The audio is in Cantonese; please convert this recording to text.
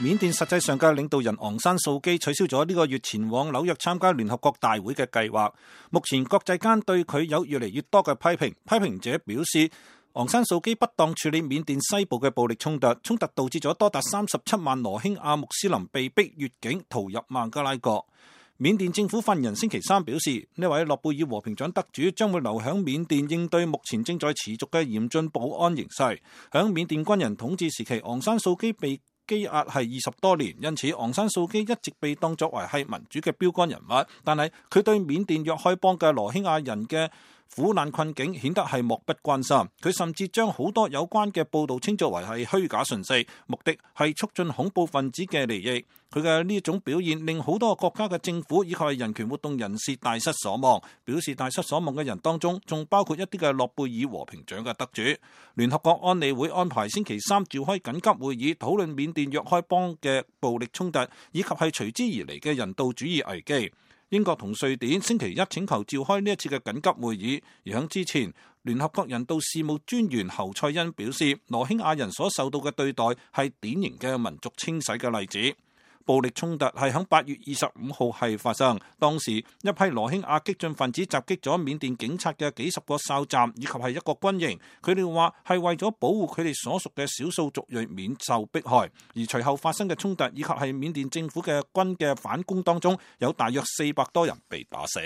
緬甸實際上嘅領導人昂山素基取消咗呢個月前往紐約參加聯合國大會嘅計劃。目前國際間對佢有越嚟越多嘅批評，批評者表示昂山素基不當處理緬甸西部嘅暴力衝突，衝突導致咗多達37萬羅興亞穆斯林被逼越境逃入孟加拉國。緬甸政府發言人星期三表示，呢位諾貝爾和平獎得主將會留響緬甸應對目前正在持續嘅嚴峻保安形勢。響緬甸軍人統治時期，昂山素基被羈押係20多年，因此昂山素基一直被當作為係民主嘅標杆人物。但係佢對緬甸若開邦嘅羅興亞人嘅苦難困境顯得係漠不關心。佢甚至將好多有關嘅報道稱作為係虛假訊息，目的係促進恐怖分子嘅利益。佢嘅呢種表現令好多國家嘅政府以及係人權活動人士大失所望。表示大失所望嘅人當中，仲包括一啲嘅諾貝爾和平獎嘅得主。聯合國安理會安排星期三召開緊急會議，討論緬甸若開邦嘅暴力衝突，以及係隨之而嚟嘅人道主義危機。英國同瑞典星期一請求召開呢一次嘅緊急會議，而喺之前，聯合國人道事務專員侯賽因表示，羅興亞人所受到嘅對待係典型嘅民族清洗嘅例子。暴力衝突係喺8月25號係發生，當時一批羅興亞激進分子襲擊咗緬甸警察嘅幾十個哨站以及係一個軍營，佢哋話係為咗保護佢哋所屬嘅少數族裔免受迫害。而隨後發生嘅衝突以及係緬甸政府嘅軍嘅反攻當中，有大約400多人被打死。